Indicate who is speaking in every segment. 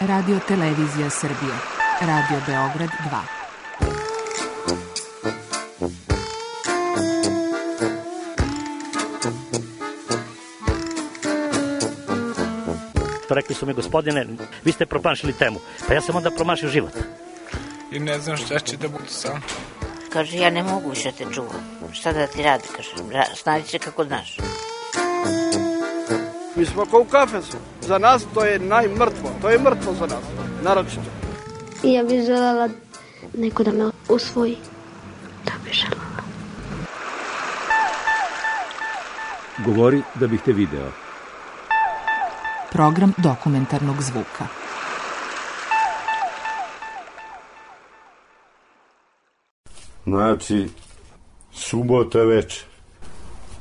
Speaker 1: Radio Televizija Srbije. Radio Beograd 2.
Speaker 2: Rekli su mi, gospodine, vi ste promašili temu. Pa ja sam onda promašio život.
Speaker 3: I ne znam šta će da bude sam.
Speaker 4: Kaže, ja ne mogu više te čuvam. Šta da ti radi, kaže, snađi se kako znaš.
Speaker 5: Mi smo kao u kafesu. Za nas to je najmrtvo. To je mrtvo za nas, naročito.
Speaker 6: I ja bih želela neko da me usvoji. Da bih želela.
Speaker 7: Govori da bih te video.
Speaker 1: Program dokumentarnog zvuka.
Speaker 8: Znači, subota večer.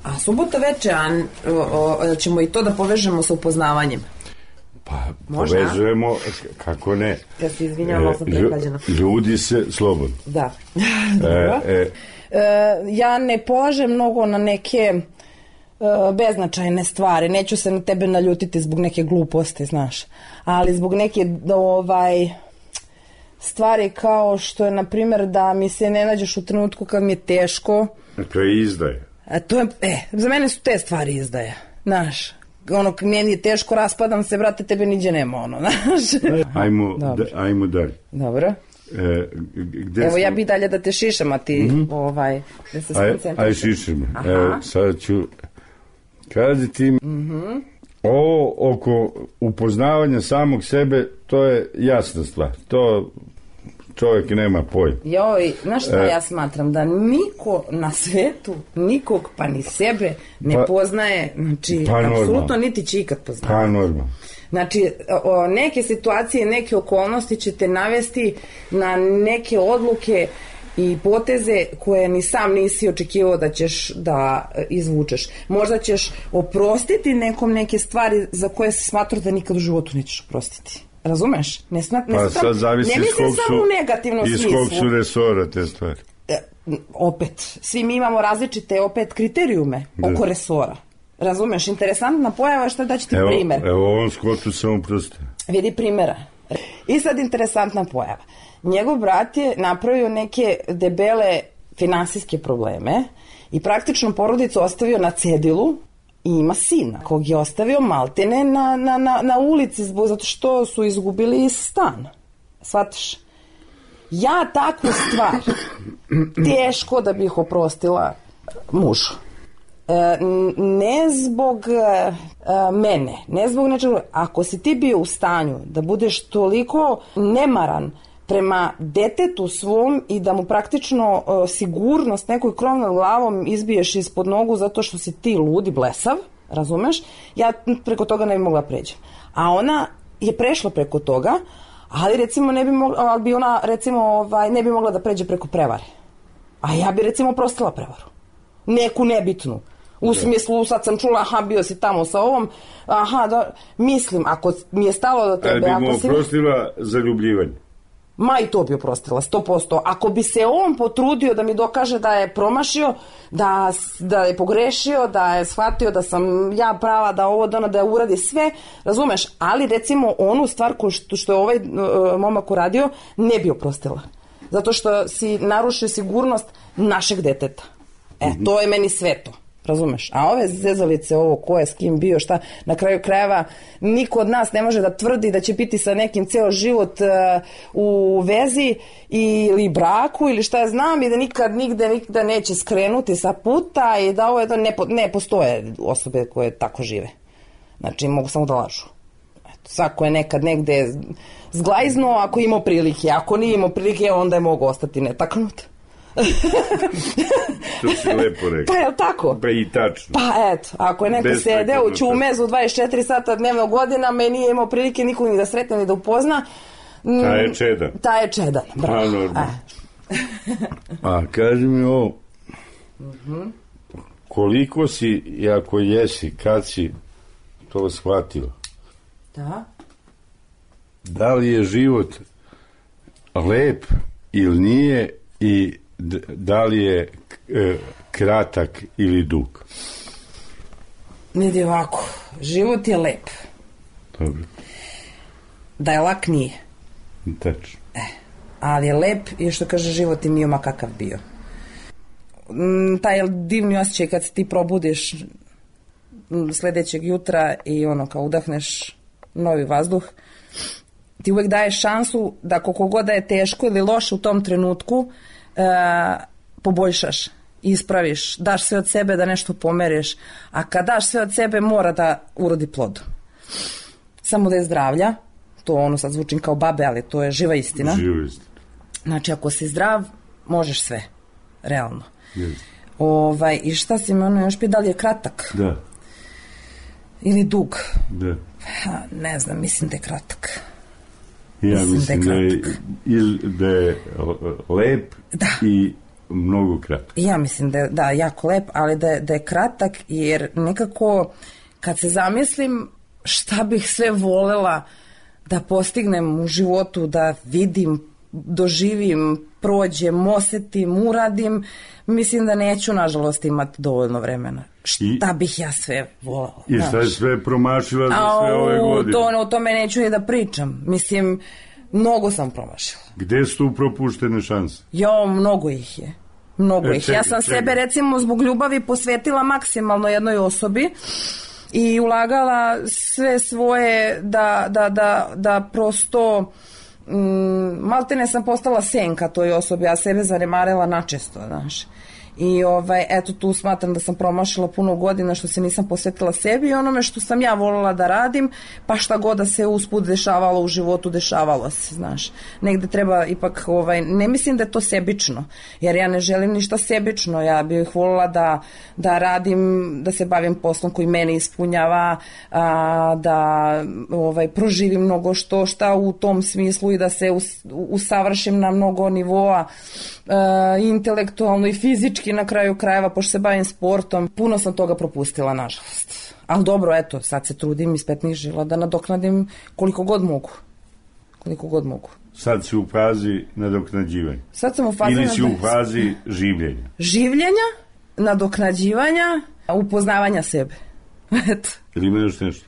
Speaker 9: A subota večer, a ćemo i to da povežemo sa upoznavanjem?
Speaker 8: Pa, možda? Povezujemo, kako ne.
Speaker 9: Ja se izvinjavam, sam prehlađena.
Speaker 8: Ljudi se slobodno.
Speaker 9: Da. Ja ne polažem mnogo na neke beznačajne stvari. Neću se na tebe naljutiti zbog neke gluposti, znaš. Ali zbog neke stvari kao što je, na primjer, da mi se ne nađeš u trenutku kad mi je teško.
Speaker 8: To je izdaje.
Speaker 9: Za mene su te stvari izdaje, znaš. Ono, meni je teško, raspadam se, brate, tebe niđe nema, ono, znaš.
Speaker 8: Ajmo dalje.
Speaker 9: Dobro. Evo, ja bi dalje da te šišam, a ti, da se skoncentrišem.
Speaker 8: Aj, šišam. Evo, sad ću kazati, ovo oko upoznavanja samog sebe, to je jasna stvar. To čovjek nema pojma.
Speaker 9: Joj, znaš šta ja smatram? Da niko na svetu, nikog pa ni sebe ne poznaje, znači, apsolutno niti će ikad poznati.
Speaker 8: Pa normalno.
Speaker 9: Znači, neke situacije, neke okolnosti će te navesti na neke odluke i poteze koje ni sam nisi očekivao da ćeš da izvučeš. Možda ćeš oprostiti nekom neke stvari za koje se smatrao da nikad u životu nećeš oprostiti. Razumeš? Ne mislim samo u negativnom smislu.
Speaker 8: Iz kog su resora te stvari?
Speaker 9: Opet, svi mi imamo različite kriterijume oko resora. Razumeš? Interesantna pojava, šta da ću ti primer.
Speaker 8: Evo ovom Skotu sam oprostio.
Speaker 9: Vidi primjera. I sad interesantna pojava. Njegov brat je napravio neke debele finansijske probleme i praktično porodicu ostavio na cedilu i ima sina kog je ostavio maltene na ulici zato što su izgubili stan. Shvataš? Ja takvu stvar teško da bih oprostila mužu. Ne zbog mene, ne zbog nečega. Ako si ti bio u stanju da budeš toliko nemaran prema detetu svom i da mu praktično sigurnost nekoj krov nad glavom izbiješ ispod nogu zato što si ti ludi blesav, razumeš, ja preko toga ne bi mogla pređem. A ona je prešla preko toga, ali recimo ne bi mogla da pređe preko prevare. A ja bi recimo oprostila prevaru. Neku nebitnu. U smislu, sad sam čula, bio si tamo sa ovom, mislim, ako mi je stalo do tebe...
Speaker 8: Ali bi mu oprostila zaljubljivanje?
Speaker 9: Ma i to bi oprostila, 100%. Ako bi se on potrudio da mi dokaže da je promašio, da je pogrešio, da je shvatio da sam ja prava, da ovo, da uradi sve, razumeš, ali recimo onu stvar što je ovaj momak uradio, ne bi oprostila. Zato što si narušio sigurnost našeg deteta. To je meni sveto. Razumeš? A ove zezalice, ovo ko je s kim bio, šta, na kraju krajeva niko od nas ne može da tvrdi da će biti sa nekim ceo život u vezi ili braku ili šta ja znam i da nikad nigde neće skrenuti sa puta i da ovo je ne postoje osobe koje tako žive. Znači mogu samo da lažu. Svako je nekad negde zglajzno ako imao prilike, ako nije imao prilike onda je mogu ostati netaknut.
Speaker 8: To si lepo rekao.
Speaker 9: Pa je li tako?
Speaker 8: Pa i tačno.
Speaker 9: Pa eto, ako je neko sedeo u Ćumezu 24 sata dnevno godinama i nije imao prilike nikog ni da sretne ni da upozna, ta je čedan. Bravo.
Speaker 8: A kaži mi ovo, koliko si, i ako jesi, kad si to shvatila? Da li je život lep ili nije i da li je kratak ili dug?
Speaker 9: Vidi ovako, život je lep.
Speaker 8: Dobro.
Speaker 9: Da je lak, nije.
Speaker 8: Tačno.
Speaker 9: Ali je lep i što kaže život i bio ma kakav bio. Taj divni osjećaj kad se ti probudiš sledećeg jutra i ono kao udahneš novi vazduh, ti uvek daješ šansu da koliko god da je teško ili loše u tom trenutku poboljšaš, ispraviš, daš sve od sebe da nešto pomeriš, a kad daš sve od sebe mora da urodi plod. Samo da je zdravlja, to ono sad zvučim kao babe, ali to je živa istina.
Speaker 8: Živa istina.
Speaker 9: Znači ako si zdrav, možeš sve, realno.
Speaker 8: Yes.
Speaker 9: I šta si me ono još pitao, da li je kratak?
Speaker 8: Da.
Speaker 9: Ili dug?
Speaker 8: Da.
Speaker 9: Ne znam, mislim da je kratak.
Speaker 8: Ja mislim da je lep i mnogo kratak.
Speaker 9: Ja mislim da je jako lep, ali da je kratak, jer nekako kad se zamislim šta bih sve volela da postignem u životu, da vidim, doživim, prođem, osetim, uradim, mislim da neću, nažalost, imati dovoljno vremena. Šta bih ja sve volela?
Speaker 8: I šta je sve promašila za sve ove godine?
Speaker 9: O tome neću ni da pričam. Mislim, mnogo sam promašila.
Speaker 8: Gde su tu propuštene šanse?
Speaker 9: Mnogo ih je. Ja sam sebe, recimo, zbog ljubavi posvetila maksimalno jednoj osobi i ulagala sve svoje da prosto maltene sam postala senka toj osobi, a sebe zanemarila načesto, znaš. I eto tu smatram da sam promašila puno godina što se nisam posvetila sebi i onome što sam ja voljela da radim, pa šta god da se usput dešavalo u životu, dešavalo se, znaš. Negde treba ipak, ne mislim da je to sebično, jer ja ne želim ništa sebično, ja bih voljela da radim, da se bavim poslom koji mene ispunjava, da proživim mnogo šta u tom smislu i da se usavršim na mnogo nivoa, intelektualno i fizički na kraju krajeva, pošto se bavim sportom. Puno sam toga propustila, nažalost. Ali dobro, eto, sad se trudim iz petnih žila da nadoknadim koliko god mogu.
Speaker 8: Sad si u fazi nadoknađivanja.
Speaker 9: Sad sam u fazi
Speaker 8: ili si u fazi življenja.
Speaker 9: Življenja, nadoknađivanja, upoznavanja sebe. Eto.
Speaker 8: Ili ima još nešto?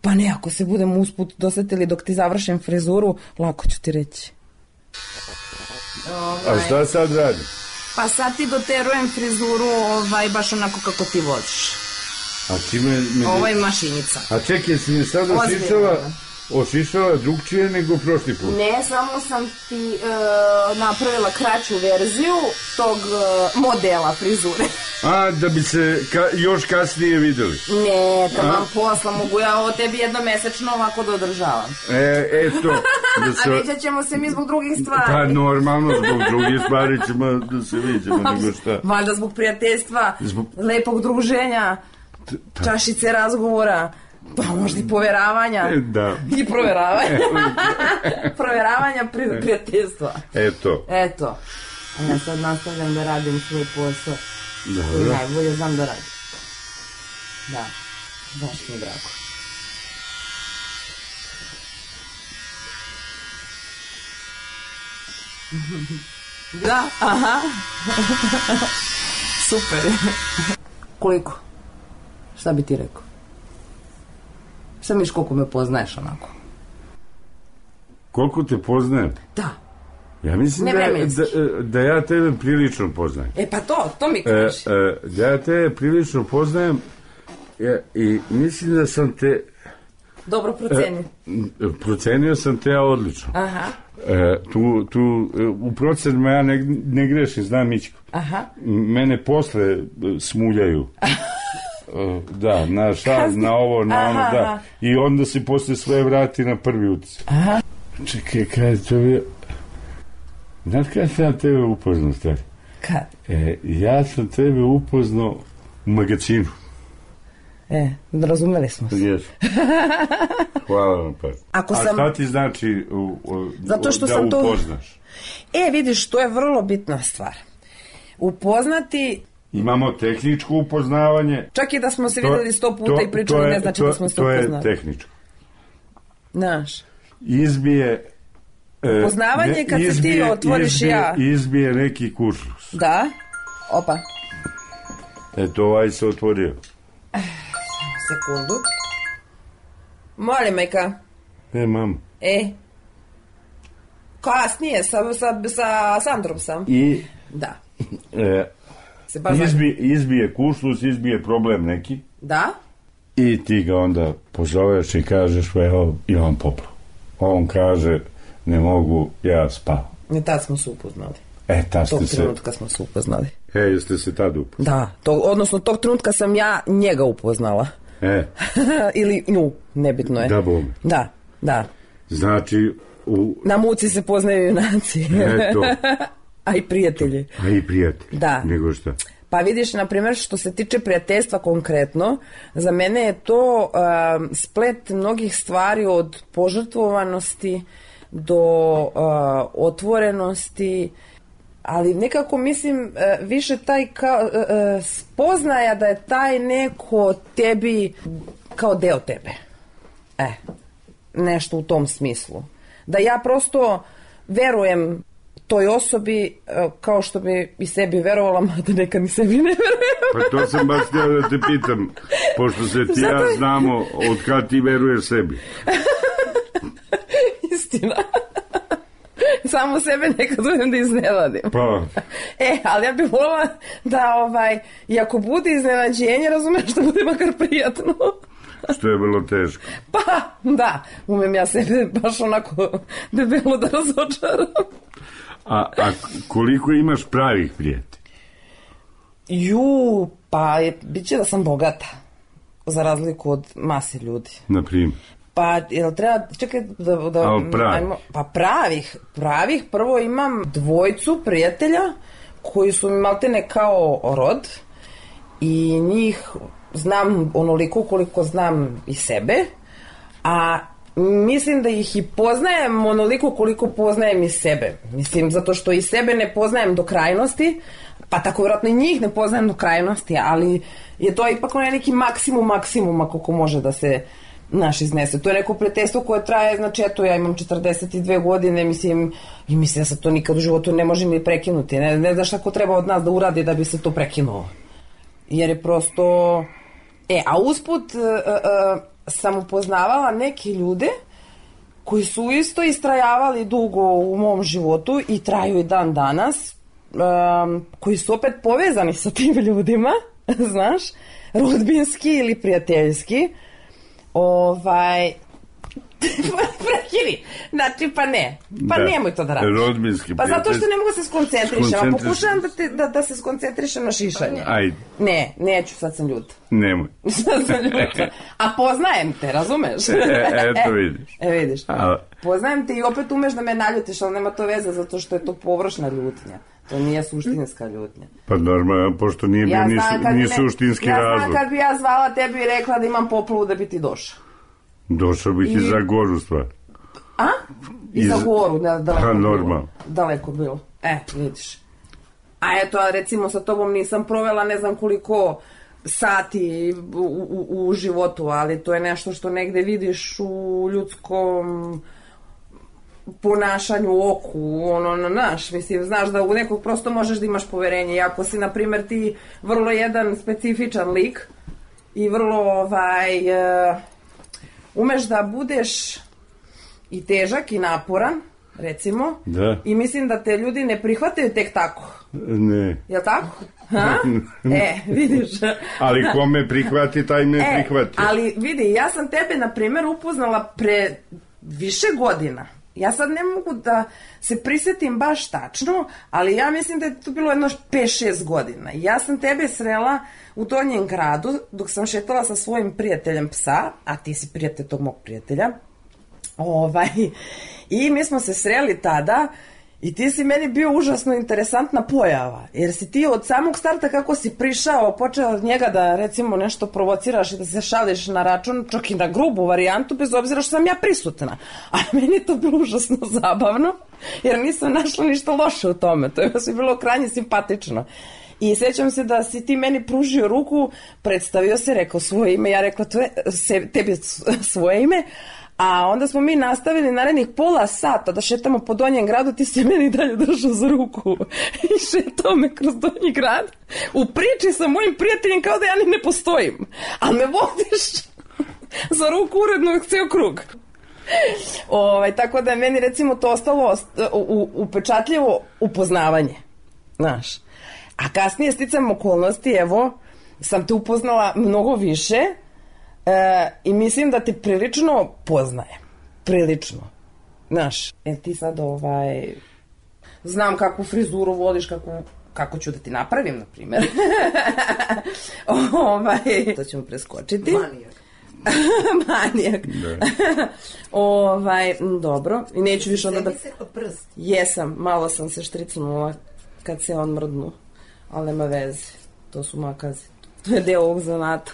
Speaker 9: Pa ne, ako se budemo usput dosetili dok ti završim frizuru, lako ću ti reći.
Speaker 8: A šta sad radi?
Speaker 9: Pa sad ti doterujem frizuru baš onako kako ti voliš.
Speaker 8: A čime...
Speaker 9: Ovo je mašinica.
Speaker 8: A čekaj, si mi sad ošišala drugčije nego prošli put?
Speaker 9: Ne, samo sam ti napravila kraću verziju tog modela frizure.
Speaker 8: A, da bi se još kasnije videli?
Speaker 9: Ne, taman posla, mogu ja ovo tebi jednomesečno ovako da održavam.
Speaker 8: Eto.
Speaker 9: A vidjet ćemo se mi zbog drugih stvari.
Speaker 8: Pa normalno, zbog drugih stvari ćemo da se vidimo, nego šta.
Speaker 9: Valjda zbog prijateljstva, lepog druženja, čašice razgovora, pa možda i poveravanja.
Speaker 8: Da.
Speaker 9: I proveravanja. Proveravanja prijateljstva.
Speaker 8: Eto.
Speaker 9: A ja sad nastavljam da radim svoj posao.
Speaker 8: Dobro.
Speaker 9: Najbolje znam da radim. Da, baš mi je drago. Da, aha. Super. Koliko? Šta bi ti rekao? Šta misliš koliko me poznaješ onako?
Speaker 8: Koliko te poznajem?
Speaker 9: Da.
Speaker 8: Ja mislim da ja tebe prilično poznajem.
Speaker 9: Pa to mi kaži.
Speaker 8: Da ja tebe prilično poznajem i mislim da sam te...
Speaker 9: Dobro procenio.
Speaker 8: Procenio sam te odlično.
Speaker 9: Aha.
Speaker 8: U procenima ja ne grešim, znam Mićko.
Speaker 9: Aha.
Speaker 8: Mene posle smuljaju. Da, na šaz, na ovo, na ono, da. I onda se posle sve vrati na prvi utisak.
Speaker 9: Aha.
Speaker 8: Čekaj, kada to je... Znaš kada sam ja tebe upoznao, stari?
Speaker 9: Kad?
Speaker 8: Ja sam tebe upoznao u magazinu.
Speaker 9: Razumeli smo se.
Speaker 8: Jesu. Hvala vam pa. A šta ti znači da upoznaš?
Speaker 9: Vidiš, to je vrlo bitna stvar. Upoznati...
Speaker 8: Imamo tehničko upoznavanje.
Speaker 9: Čak i da smo se videli 100 puta i pričali, ne znači da smo se upoznali.
Speaker 8: To je tehničko.
Speaker 9: Znaš.
Speaker 8: Izbije...
Speaker 9: Upoznavanje kad se ti otvoriš ja.
Speaker 8: Izbije neki kuršlus.
Speaker 9: Da. Opa.
Speaker 8: Eto, ovaj se otvorio.
Speaker 9: Sekundu. Molim, majka.
Speaker 8: Mam.
Speaker 9: Kasnije, sa Sandrom sam.
Speaker 8: I
Speaker 9: Da.
Speaker 8: izbije kušlus, izbije problem neki.
Speaker 9: Da?
Speaker 8: I ti ga onda pozoveš i kažeš, evo, imam popro. On kaže, ne mogu, ja spavam.
Speaker 9: I tad smo se upoznali.
Speaker 8: Tad ste
Speaker 9: Tog
Speaker 8: se...
Speaker 9: trenutka smo se upoznali.
Speaker 8: Jeste se tad upoznali?
Speaker 9: Da, odnosno tog trenutka sam ja njega upoznala. Ili nju, nebitno je.
Speaker 8: Da, bome.
Speaker 9: Da.
Speaker 8: Znači,
Speaker 9: na muci se poznaju junaci.
Speaker 8: Eto.
Speaker 9: A i prijatelji.
Speaker 8: Da. Nego šta?
Speaker 9: Pa vidiš, na primjer, što se tiče prijateljstva konkretno, za mene je to splet mnogih stvari, od požrtvovanosti do otvorenosti, ali nekako mislim više taj spoznaja da je taj neko tebi kao deo tebe. Nešto u tom smislu. Da ja prosto verujem toj osobi kao što bi i sebi verovala, mada nekad ni sebi ne verujem.
Speaker 8: Pa to sam baš htio da te pitam, pošto se ti ja znamo od kad ti veruješ sebi.
Speaker 9: Istina. Samo sebe nekad uvijem da iznenadim.
Speaker 8: Pa.
Speaker 9: Ali ja bih volila da i ako bude iznenađenje, razumeš, da bude makar prijatno.
Speaker 8: Što je vrlo teško.
Speaker 9: Pa, da. Umem ja sebe baš onako debelo da razočaram.
Speaker 8: A koliko imaš pravih prijatelja?
Speaker 9: Pa bit će da sam bogata. Za razliku od mase ljudi.
Speaker 8: Naprimjer?
Speaker 9: Pa, jel treba, čekaj da pa pravih, prvo imam 2 prijatelja koji su mi maltene kao rod i njih znam onoliko koliko znam i sebe, a mislim da ih i poznajem onoliko koliko poznajem i sebe. Mislim, zato što i sebe ne poznajem do krajnosti, pa tako vjerojatno i njih ne poznajem do krajnosti, ali je to ipak neki maksimuma koliko može da se iznese. To je neko prijateljstvo koje traje, znači eto, ja imam 42 godine, mislim, i mislim da se to nikad u životu ne može ni prekinuti. Ne znaš šta ko treba od nas da uradi da bi se to prekinulo. Jer je prosto... a usput sam upoznavala neke ljude koji su isto istrajavali dugo u mom životu i traju i dan danas, koji su opet povezani sa tim ljudima, znaš, rodbinski ili prijateljski. Prekini. Znači, pa ne. Pa nemoj to da radiš.
Speaker 8: Rodbinski
Speaker 9: prijatelj. Pa zato što ne mogu se skoncentrišem. A pokušavam da se skoncentrišem na šišanje.
Speaker 8: Ajde.
Speaker 9: Ne, neću, sad sam ljuta.
Speaker 8: Nemoj.
Speaker 9: Sad sam ljuta. A poznajem te, razumeš?
Speaker 8: Eto vidiš.
Speaker 9: Vidiš. Poznajem te i opet umeš da me naljutiš, ali nema to veze zato što je to površna ljutnja. To nije suštinska ljutnja.
Speaker 8: Pa normalno, pošto nije bio ni suštinski razlog.
Speaker 9: Ja znam kad bi ja zvala tebi i rekla da imam poplavu da bi ti došao.
Speaker 8: Došao bih i za goru stvar.
Speaker 9: A? I za goru,
Speaker 8: daleko
Speaker 9: bilo. Vidiš. A eto, recimo sa tobom nisam provela ne znam koliko sati u životu, ali to je nešto što negde vidiš u ljudskom ponašanju, oku, mislim, znaš da u nekog prosto možeš da imaš poverenje. I ako si, na primjer, ti vrlo jedan specifičan lik i vrlo, umeš da budeš i težak i naporan, recimo, i mislim da te ljudi ne prihvataju tek tako.
Speaker 8: Ne.
Speaker 9: Jel' tako? Vidiš.
Speaker 8: Ali ko me prihvati, taj me prihvati.
Speaker 9: Ali vidi, ja sam tebe, na primjer, upoznala pre više godina. Ja sad ne mogu da se prisjetim baš tačno, ali ja mislim da je to bilo jedno 5-6 godina. Ja sam tebe srela u Donjem gradu dok sam šetala sa svojim prijateljem psa, a ti si prijatelj tog mog prijatelja. I mi smo se sreli tada i ti si meni bio užasno interesantna pojava, jer si ti od samog starta kako si prišao, počeo od njega da recimo nešto provociraš i da se šališ na račun, čak i na grubu varijantu, bez obzira što sam ja prisutna. A meni je to bilo užasno zabavno, jer nisam našla ništa loše u tome, to je bilo krajnje simpatično. I sjećam se da si ti meni pružio ruku, predstavio se, rekao svoje ime, ja rekla tebi svoje ime, a onda smo mi nastavili narednih pola sata da šetamo po Donjem gradu, ti si meni dalje držao za ruku i šetao me kroz Donji grad u priči sa mojim prijateljem kao da ja ni ne postojim, a me vodiš za ruku uredno ceo krug. Tako da je meni recimo to ostalo upečatljivo upoznavanje. Znaš. A kasnije sticam okolnosti, evo, sam te upoznala mnogo više i mislim da te prilično poznajem. Prilično. Znaš, ti sad znam kakvu frizuru voliš, kako ću da ti napravim, na primjer. To ćemo preskočiti. Manijak. Dobro. I neću više onda da... Jesam, malo sam se štricnula kad se on mrdnu. Ali nema veze. To su makazi. To je deo ovog zanata.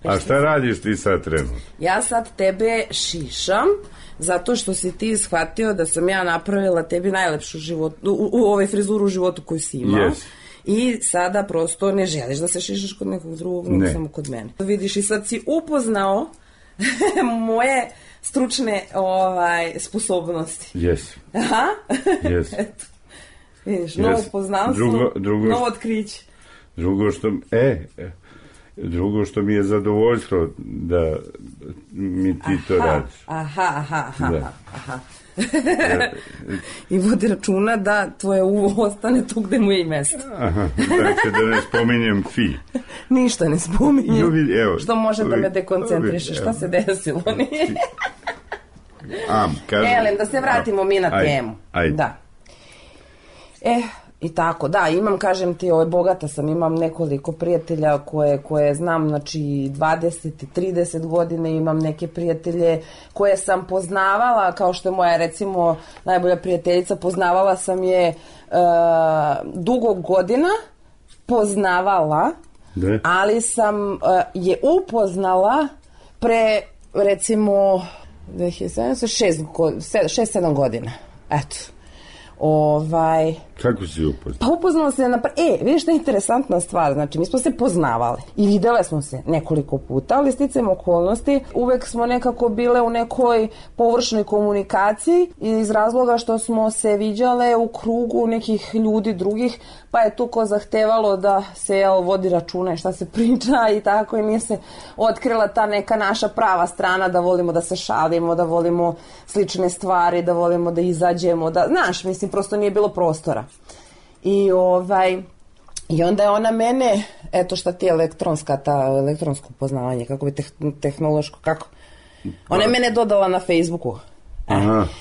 Speaker 8: A šta radiš ti sad trenutno?
Speaker 9: Ja sad tebe šišam zato što si ti shvatio da sam ja napravila tebi najlepšu u ovoj frizuru u životu koju si imao. Yes. I sada prosto ne želiš da se šišaš kod nekog drugog, nego samo kod mene. Vidiš, i sad si upoznao moje stručne sposobnosti.
Speaker 8: Yes.
Speaker 9: Aha.
Speaker 8: Yes.
Speaker 9: Vidiš, novo poznanstvo, novo otkriće.
Speaker 8: Drugo što mi je zadovoljstvo da mi ti to radiš.
Speaker 9: Aha. I vodi računa da tvoje uvo ostane tu gde mu je i mesto.
Speaker 8: Dakle, da ne spominjem fi.
Speaker 9: Ništa ne spominjem. Što može da me dekoncentriše? Šta se desilo? Elem, da se vratimo mi na temu. Da. I tako, da, imam, kažem ti, bogata sam, imam nekoliko prijatelja koje znam, znači 20 i 30 godine, imam neke prijatelje koje sam poznavala, kao što je moja, recimo, najbolja prijateljica, poznavala sam je dugo godina, ali sam je upoznala pre, recimo, 6-7 godina, eto.
Speaker 8: Kako si upoznala?
Speaker 9: Pa upoznala se vidiš što je interesantna stvar, znači mi smo se poznavali i videle smo se nekoliko puta, ali sticajem okolnosti uvek smo nekako bile u nekoj površnoj komunikaciji iz razloga što smo se viđale u krugu nekih ljudi drugih, pa je tu ko zahtevalo da se vodi računa i šta se priča i tako, i nije se otkrila ta neka naša prava strana, da volimo da se šalimo, da volimo slične stvari, da volimo da izađemo, da, znaš, mislim, prosto nije bilo prostora. I onda je ona mene, eto šta ti je elektronsko poznavanje, kako bi tehnološko, kako? Ona je mene dodala na Facebooku.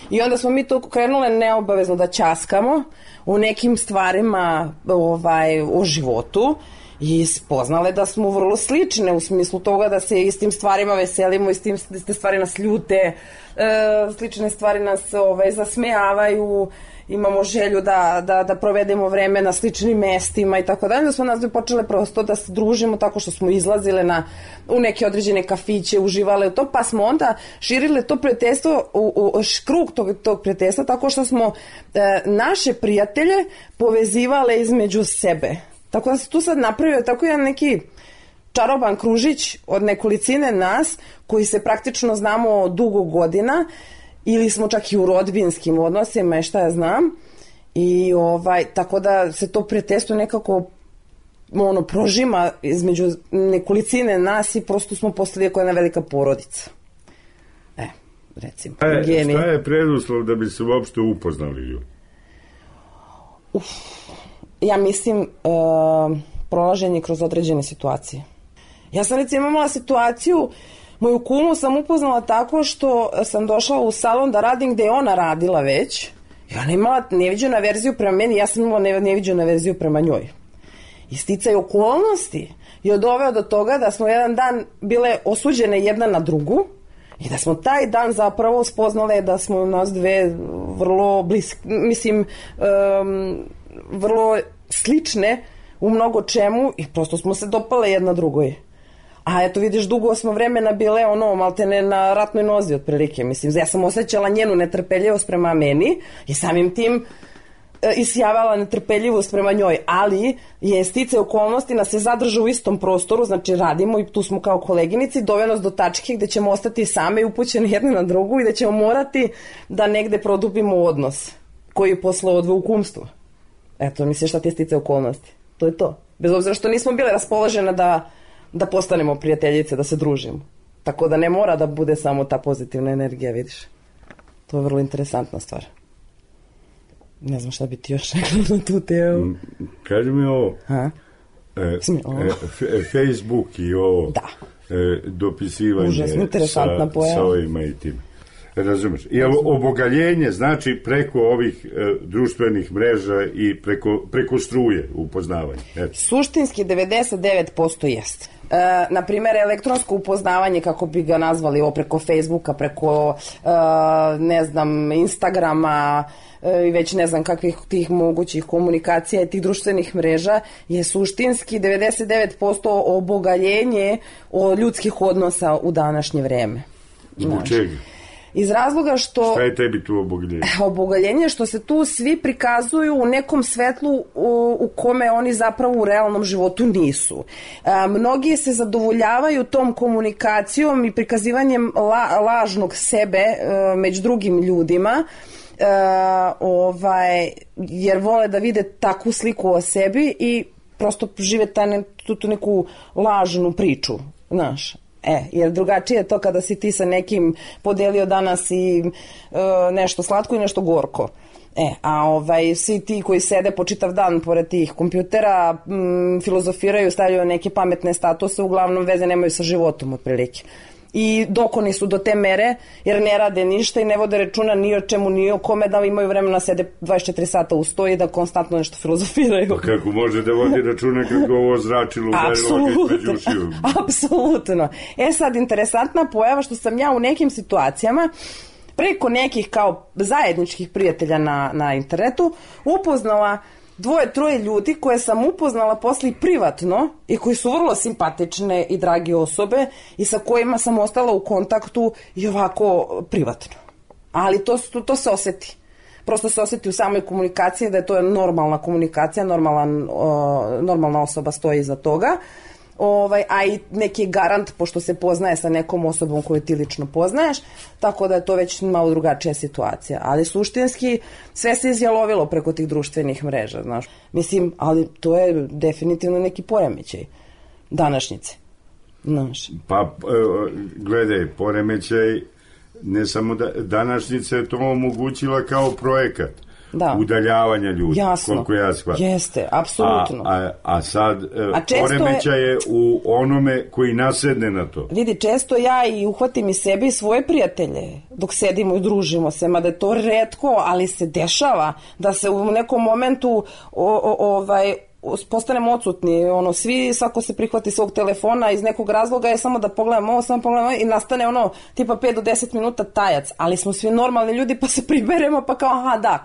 Speaker 9: I onda smo mi tu krenule neobavezno da ćaskamo u nekim stvarima o životu i spoznale da smo vrlo slične u smislu toga da se istim stvarima veselimo, iste stvari nas ljute, slične stvari nas zasmejavaju, imamo želju da provedemo vreme na sličnim mestima i tako dalje. Da smo nas počele prosto da se družimo tako što smo izlazile u neke određene kafiće, uživale u to, pa smo onda širile to prijateljstvo, krug tog prijateljstva, tako što smo naše prijatelje povezivale između sebe. Tako da se tu sad napravio tako jedan neki čaroban kružić od nekolicine nas koji se praktično znamo dugo godina, ili smo čak i u rodbinskim odnosima i šta ja znam, i tako da se to prijateljstvo nekako prožima između nekolicine nas i prosto smo postali jako jedna velika porodica. Recimo.
Speaker 8: Šta je preduslov da bi se uopšte upoznali ljudi?
Speaker 9: Ja mislim prolaženje kroz određene situacije. Ja sam recimo imala situaciju, moju kumu sam upoznala tako što sam došla u salon da radim gde je ona radila već i ona imala neviđenu averziju prema meni, ja sam imala neviđenu averziju prema njoj. I sticaj okolnosti je doveo do toga da smo jedan dan bile osuđene jedna na drugu i da smo taj dan zapravo spoznale da smo nas dve vrlo bliske, mislim, vrlo slične u mnogo čemu i prosto smo se dopale jedna drugoj. A eto vidiš, dugo smo vremena bile maltene na ratnoj nozi otprilike, mislim, ja sam osjećala njenu netrpeljivost prema meni i samim tim isjavala netrpeljivost prema njoj, ali je sticaj okolnosti nas se zadrža u istom prostoru, znači radimo i tu smo kao koleginici, doveo nas do tačke gde ćemo ostati same i upućene jedne na drugu i da ćemo morati da negde produbimo odnos koji je posle odve u kumstvo. Eto, misliš šta ti je sticaj okolnosti? To je to. Bez obzira što nismo bile raspoložene da postanemo prijateljice, da se družimo. Tako da ne mora da bude samo ta pozitivna energija, vidiš. To je vrlo interesantna stvar. Ne znam šta bi ti još rekla na tu temu.
Speaker 8: Kaži mi ovo. Facebook i ovo.
Speaker 9: Da.
Speaker 8: Dopisivanje
Speaker 9: užasno interesantna pojava.
Speaker 8: Sa ovima i tim. Razumeš? Jel obogaljenje znači preko ovih društvenih mreža i preko struje upoznavanje?
Speaker 9: Suštinski 99% jeste. Naprimjer, elektronsko upoznavanje, kako bi ga nazvali, preko Facebooka, preko ne znam, Instagrama i već ne znam kakvih tih mogućih komunikacija i tih društvenih mreža, je suštinski 99% obogaljenje ljudskih odnosa u današnje vreme.
Speaker 8: Zbog čega?
Speaker 9: Iz razloga što...
Speaker 8: Šta je tebi tu obogaljenje?
Speaker 9: Obogaljenje što se tu svi prikazuju u nekom svetlu u kome oni zapravo u realnom životu nisu. Mnogi se zadovoljavaju tom komunikacijom i prikazivanjem lažnog sebe među drugim ljudima, jer vole da vide takvu sliku o sebi i prosto žive tu neku lažnu priču, znaš. Jer drugačije je to kada si ti sa nekim podelio danas i nešto slatko i nešto gorko. Svi ti koji sede po čitav dan pored tih kompjutera, filozofiraju, stavljaju neke pametne statuse, uglavnom veze nemaju sa životom otprilike. I dokoni su do te mere, jer ne rade ništa i ne vode računa ni o čemu, ni o kome, da imaju vremena sede 24 sata u stoji da konstantno nešto filozofiraju.
Speaker 8: Pa kako može da vodi računa kako ovo zračilo udarilo među ušiju?
Speaker 9: Apsolutno. Sad, interesantna pojava što sam ja u nekim situacijama preko nekih kao zajedničkih prijatelja na internetu upoznala 2-3 ljudi koje sam upoznala posle privatno i koji su vrlo simpatične i drage osobe i sa kojima sam ostala u kontaktu i ovako privatno. Ali to se oseti. Prosto se oseti u samoj komunikaciji da je to normalna komunikacija, normalna osoba stoji iza toga. A i neki garant, pošto se poznaje sa nekom osobom koju ti lično poznaješ, tako da je to već malo drugačija situacija. Ali suštinski sve se izjalovilo preko tih društvenih mreža, znaš. Mislim, ali to je definitivno neki poremećaj današnjice, znaš.
Speaker 8: Pa, gledaj, poremećaj, ne samo današnjica je to omogućila kao projekat. Da. Udaljavanja ljudi, koliko ja shvatim.
Speaker 9: Jeste, apsolutno.
Speaker 8: A sad poremećaj je u onome koji nasedne na to.
Speaker 9: Vidi, često ja i uhvatim i sebe i svoje prijatelje dok sedimo i družimo se, mada je to retko, ali se dešava da se u nekom momentu postanemo odsutni, svi, svako se prihvati svog telefona iz nekog razloga je samo da pogledamo ovo, i nastane tipa 5 do 10 minuta tajac, ali smo svi normalni ljudi pa se priberemo pa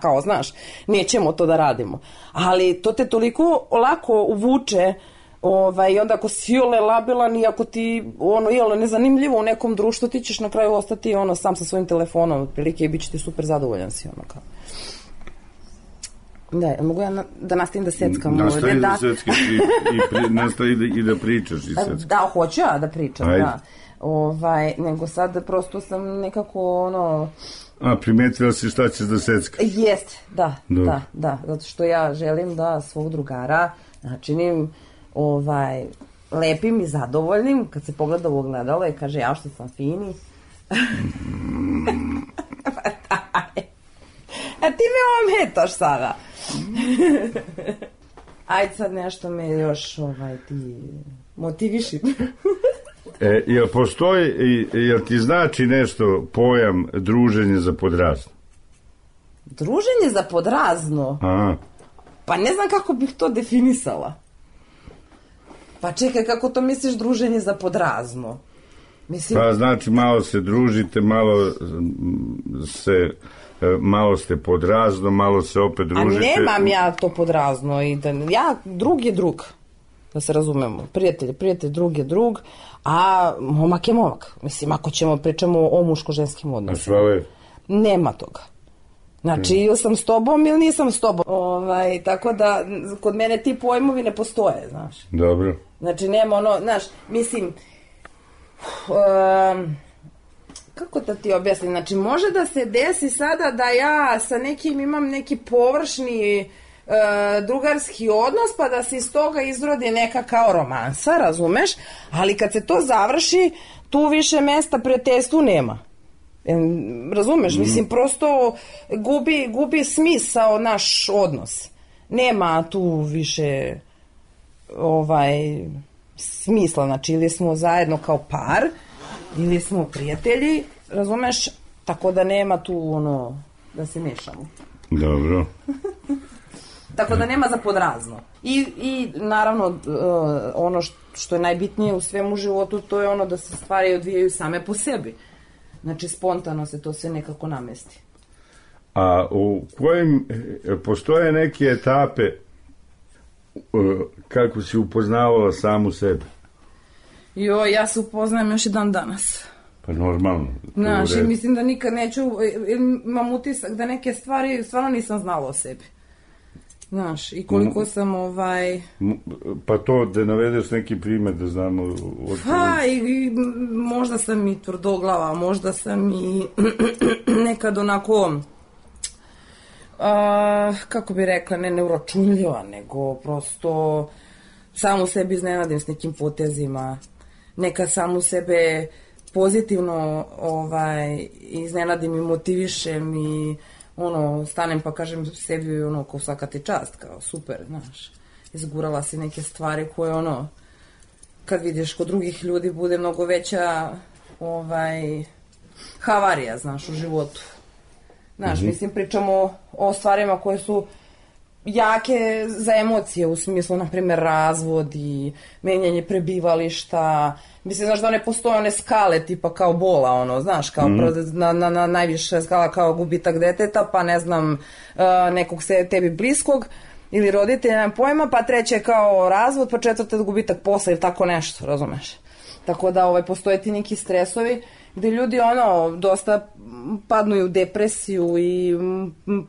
Speaker 9: kao, znaš, nećemo to da radimo. Ali to te toliko lako uvuče i onda ako si labilan i ako ti nezanimljivo u nekom društvu, ti ćeš na kraju ostati sam sa svojim telefonom otprilike i bit će ti super zadovoljan si kao. Da, mogu ja da nastavim da seckam?
Speaker 8: Nastavi da seckaš i nastavi i da pričaš i seckaš.
Speaker 9: Da, hoću ja da pričam, ajde. Da. Nego sad prosto sam nekako
Speaker 8: primetila si šta ćeš da seckaš?
Speaker 9: Jeste, da, zato što ja želim da svog drugara načinim lepim i zadovoljnim kad se pogleda u ogledalo i kaže ja što sam fini. A ti me ometaš sada. Ajde sad nešto me još ti motiviši.
Speaker 8: Jel postoji, jel ti znači nešto pojam druženje za podrazno?
Speaker 9: Druženje za podrazno?
Speaker 8: Aha.
Speaker 9: Pa ne znam kako bih to definisala. Pa čekaj, kako to misliš druženje za podrazno?
Speaker 8: Pa znači malo se družite, malo ste podrazno, malo se opet družite.
Speaker 9: A nemam ja to podrazno. Drug je drug, da se razumemo. Prijatelj, drug je drug, a momak je momak. Mislim, ako pričamo o muško-ženskim odnosima. Nema toga. Znači, ili sam s tobom ili nisam s tobom. Tako da, kod mene ti pojmovi ne postoje, znaš.
Speaker 8: Dobro.
Speaker 9: Znači, nema znaš, mislim... kako da ti objasnim, znači može da se desi sada da ja sa nekim imam neki površni drugarski odnos pa da se iz toga izrodi neka kao romansa, razumeš, ali kad se to završi tu više mesta prijateljstvu nema. Razumeš? Mislim, prosto gubi smisao naš odnos. Nema tu više smisla, znači ili smo zajedno kao par, ili smo prijatelji, razumeš? Tako da nema tu da se mešamo.
Speaker 8: Dobro.
Speaker 9: Tako da nema za podrazno. I naravno, ono što je najbitnije u svemu životu, to je ono da se stvari odvijaju same po sebi. Znači, spontano se to sve nekako namesti.
Speaker 8: A u kojim postoje neke etape kako si upoznavala samu sebe?
Speaker 9: Ja se upoznajem još i dan danas.
Speaker 8: Pa normalno.
Speaker 9: Znaš, i mislim da nikad neću, imam utisak da neke stvari stvarno nisam znala o sebi. Znaš, i koliko sam
Speaker 8: Pa to da navedeš neki primjer da znamo...
Speaker 9: Pa, i možda sam i tvrdoglava, možda sam i nekad onako... kako bi rekla, ne neuračunljiva, nego prosto samu sebi iznenadim s nekim potezima. Neka samu sebe pozitivno iznenadim i motivišem i stanem pa kažem sebi kao svaka ti čast, kao super, znaš. Izgurala si neke stvari koje kad vidiš kod drugih ljudi bude mnogo veća havarija, znaš, u životu. Znaš, mislim, pričamo o stvarima koje su jake za emocije, u smislu, na primjer, razvod i menjanje prebivališta. Mislim, znaš da ne postoje one skale tipa kao bola, znaš, kao na najviše skala kao gubitak deteta, pa ne znam, nekog tebi bliskog ili roditelja, nemam pojma, pa treće kao razvod, pa četvrte gubitak posla ili tako nešto, razumeš? Tako da postoje ti neki stresovi gde ljudi dosta padnu u depresiju i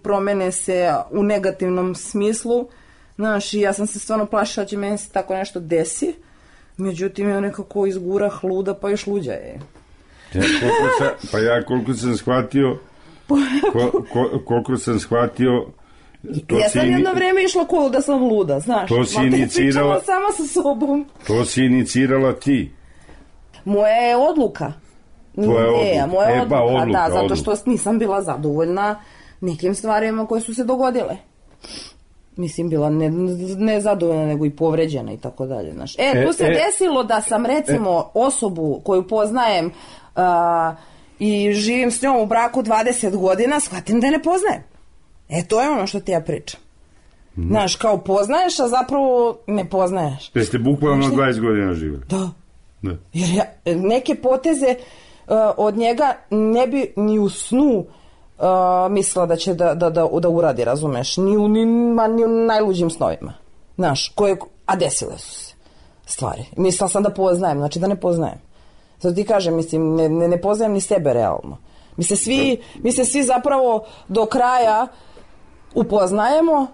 Speaker 9: promene se u negativnom smislu. Znaš, i ja sam se stvarno plašila da će meni se tako nešto desi, međutim je nekako izgura hluda pa još luđa je.
Speaker 8: Koliko sam shvatio
Speaker 9: ja sam jedno vreme išla kolo da sam luda, znaš.
Speaker 8: To si inicirala
Speaker 9: sama sa sobom.
Speaker 8: To si inicirala ti.
Speaker 9: Moja je odluka. Moja odluka, da, zato što nisam bila zadovoljna nekim stvarima koje su se dogodile. Mislim, bila ne zadovoljna, nego i povređena i tako dalje. Tu se desilo da sam, recimo, osobu koju poznajem i živim s njom u braku 20 godina, shvatim da je ne poznajem. To je ono što ti ja pričam. Znaš, kao poznaješ, a zapravo ne poznaješ.
Speaker 8: Jeste bukvalno 20 godina živjeli?
Speaker 9: Da. Jer neke poteze od njega ne bi ni u snu mislila da će da uradi, razumeš, ni u najluđim snovima, znaš, a desile su se stvari. Mislila sam da poznajem, znači da ne poznajem. Zato ti kažem, mislim, ne poznajem ni sebe realno. Mi se svi zapravo do kraja upoznajemo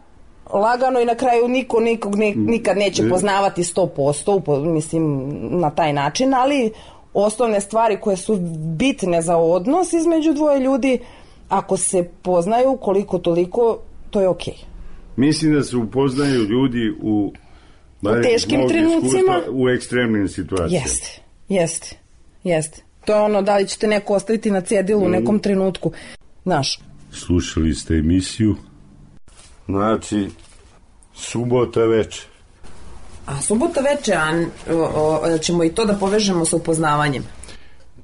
Speaker 9: lagano i na kraju niko nikog nikad neće poznavati 100%, mislim, na taj način, ali osnovne stvari koje su bitne za odnos između dvoje ljudi, ako se poznaju koliko toliko, to je okej.
Speaker 8: Mislim da se upoznaju ljudi u
Speaker 9: teškim trenucima,
Speaker 8: u ekstremnim situacijama.
Speaker 9: Jeste. To je ono, da li ćete neko ostaviti na cedilu u nekom trenutku, znaš.
Speaker 8: Slušali ste emisiju, znači, subota večer.
Speaker 9: A subota večer, ćemo i to da povežemo sa upoznavanjem.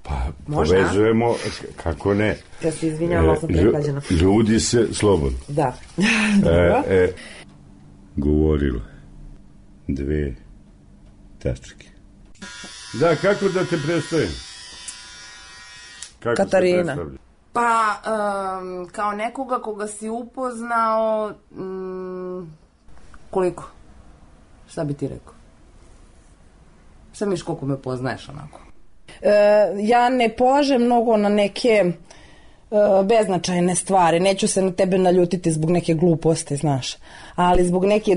Speaker 8: Pa, povezujemo, kako ne.
Speaker 9: Ja se izvinjavam, sam prehlađena.
Speaker 8: Ljudi se slobodno.
Speaker 9: Da.
Speaker 8: Govorila 2 tačke. Da, kako da te predstavim?
Speaker 9: Katarina. Pa, kao nekoga koga si upoznao, koliko? Šta bi ti rekao? Šta misliš koliko me poznaješ onako? Ja ne polažem mnogo na neke beznačajne stvari. Neću se na tebe naljutiti zbog neke gluposti, znaš. Ali zbog neke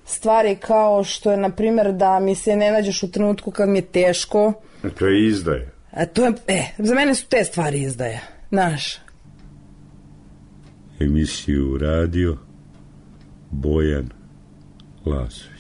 Speaker 9: stvari kao što je, na primjer, da mi se ne nađeš u trenutku kad mi je teško.
Speaker 8: To je izdaja.
Speaker 9: Za mene su te stvari izdaja, znaš.
Speaker 8: Emisiju radio Bojan Lazović.